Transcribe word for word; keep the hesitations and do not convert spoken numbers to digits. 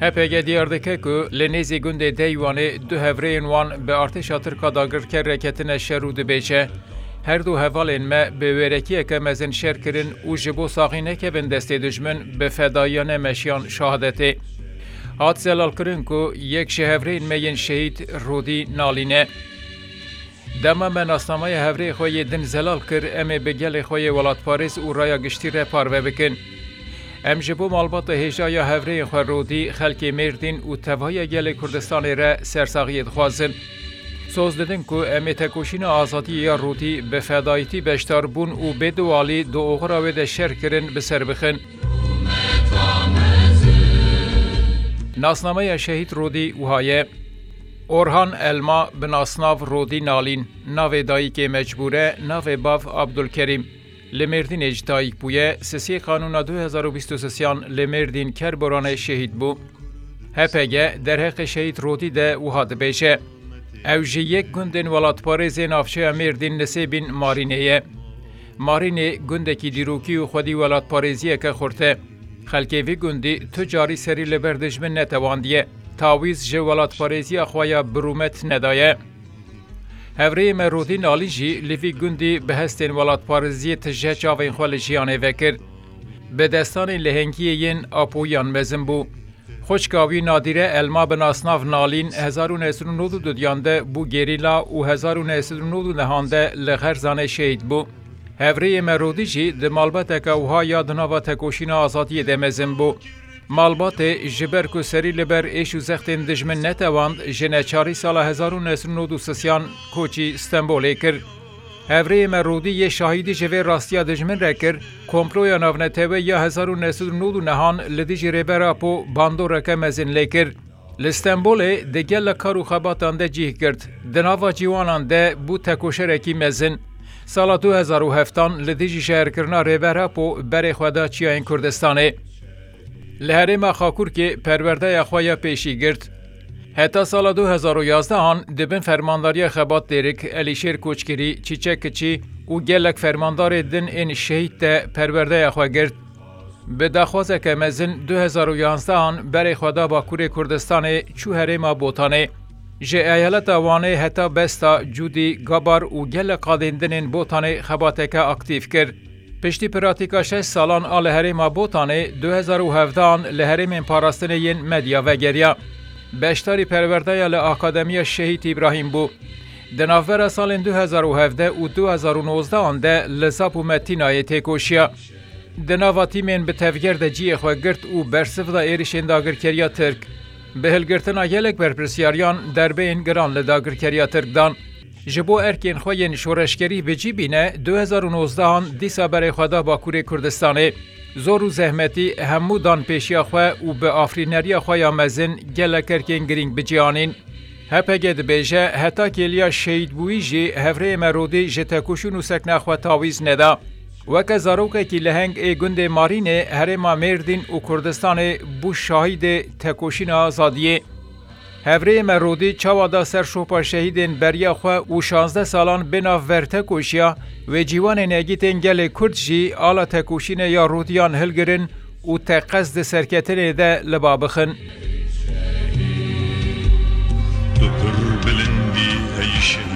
H P G diyar dike ku li nêzî gundê Deywanê du hevrêyên wan bi artêşa Tirka dagirker re ketine şer û dibêje, her du hevalên me bi wêrekiyeke mezin şer kirin û ji bo saxî nekevin destê dijmin bi fedayiyane meşiyan şehadetê. Hat zelalkirin ku yek ji hevrêyên me yên şehîd Rodî Nalîn e. Dema me nasnameya hevrêyê xwe yê din zelal kir, em ê bi gelê xwe yê welatparêz û raya giştî re parve bikin. Em ji bo malbata hêja ya hevrêyên xwe Rodî, xelkê Mêrdîn û tevahiya gelê Kurdistanê re sersaxiyê dixwazin. Soz didin ku em ê tekoşîna azadiyê ya Rodî bi fedayîtî beşdar bûn û bê dewalî di oxira wê de şer kirin bi ser bixin. Nasnameya şehîd Rodî wiha ye. Orhan Elma bi nasnav Rodî Nalîn, navê dayikê Mecbûre, navê bav Abdulkerîm. Li Mêrdînê ji dayik bûye, sisê Kanûna du hezar û bîst û sisiyan li Mêrdîn Kerboranê şehîd bû. H P G derheqê şehîd Rodî de wiha dibêje, ew ji yek gundên welatparêzê navçeya Mêrdîn Nisêbîn Marînê ye. Marînê gundekî dîrokî û xwedî welatparêziyeke xurt e. Xelkê vî gundî tu carî serî li ber dijmin netewandiye, tawîz ji welatparêziya xwe ya bi rûmet nedaye. Hevrêyê me Rodî Nalîn jî li vî gundî bi hestên welatparêziyê tije çavên xwe li jiyanê vekir. Bi destanên lehengiyê yên Apoyiyan mezin bû. Xwişka wî Nadîre Elma bi nasnav Nalîn hezar û neh sed û nod û duyan de bû gerîla û hezar û neh sed û nod û nehan de li Xerzanê şehîd bû. Hevrêyê me Rodî jî di malbateke wiha ya di nava tekoşîna azadiyê de mezin bû. Malbatê ji ber ku serî li ber êş û zextên dijmin netewand, ji neçarî sala hezar û neh sed û nod û sisiyan koçî Stenbolê kir. Hevrêyê me Rodî yê şahîdî ji vê rastiya dijmin re kir, komploya navneteweyî ya hezar û neh sed û nod û nehan li dijî Rêber Apo bandoreke mezin lê kir. Li Stenbolê di gelek kar û xebatan de cih girt. Di nava ciwanan de bû tekoşerekî mezin. Sala du hezar û heftan li dijî şehrkirina Rêber Apo berê xwe da çiyayên Kurdistanê. Li herêma Xakurkê perwerdeya xwe ya pêşî girt. Heta sala du hezar û yazdehan di bin fermandariya Xebat Dêrik, Elîşêr Koçgirî, Çîçek Kiçî û gelek fermandarê din ên şehîd de perwerdeya xwe girt. Bi daxwazeke mezin du hezar û yanzdehan berê xwe da Bakurê Kurdistanê, çû herêma Botanê. Ji eyaleta Wanê heta Besta, Cûdî, Gabar û gelek qadên din ên Botanê xebateke aktîf kir. Piştî pratîka şeş salan a li herêma Botanê, du hezar û hevdehan li herêmên parastinê yên Medya vegeriya. Beşdarî perwerdeya li Akademiya Şehîd Îbrahîm bû. Di navbera salên du hezar û hevdeh û du hezar û nozdehan de li Zap û Metînayê têkoşiya. Di nava tîmên bi tevger de cihê xwe girt û bersiv da êrişên dagirkeriya Tirk. Bi hilgirtina gelek berpirsyariyan derbeyên giran li dagirkeriya Tirk dan. Ji bo erkên xwe yên şoreşgerî bi cî bîne, du hezar û nozdehan dîsa berê xwe da Bakurê Kurdistanê. Zor û zehmetî hemû dan pêşiya xwe û bi afirîneriya xwe ya mezin gelek erkên girîng bi cî anîn. H P G dibêje, heta kêliya şehîdbûyî jî hevrêyê me Rodî ji tekoşîn û sekna xwe tawîz neda. Weke zarokekî leheng ê gundê Marînê, herêma Mêrdîn û Kurdistanê bû şahîdê tekoşîna azadiyê. Hevrêyê me Rodî çawa da ser şopa şehîdên beriya xwe û şazdeh salan bê navber tekoşiya, wê ciwanên egîtên gelê Kurd jî ala tekoşînê ya Rodiyan hilgirin û teqez di serketinê de li ba bixin. Tu pir bilind î ey şehîd.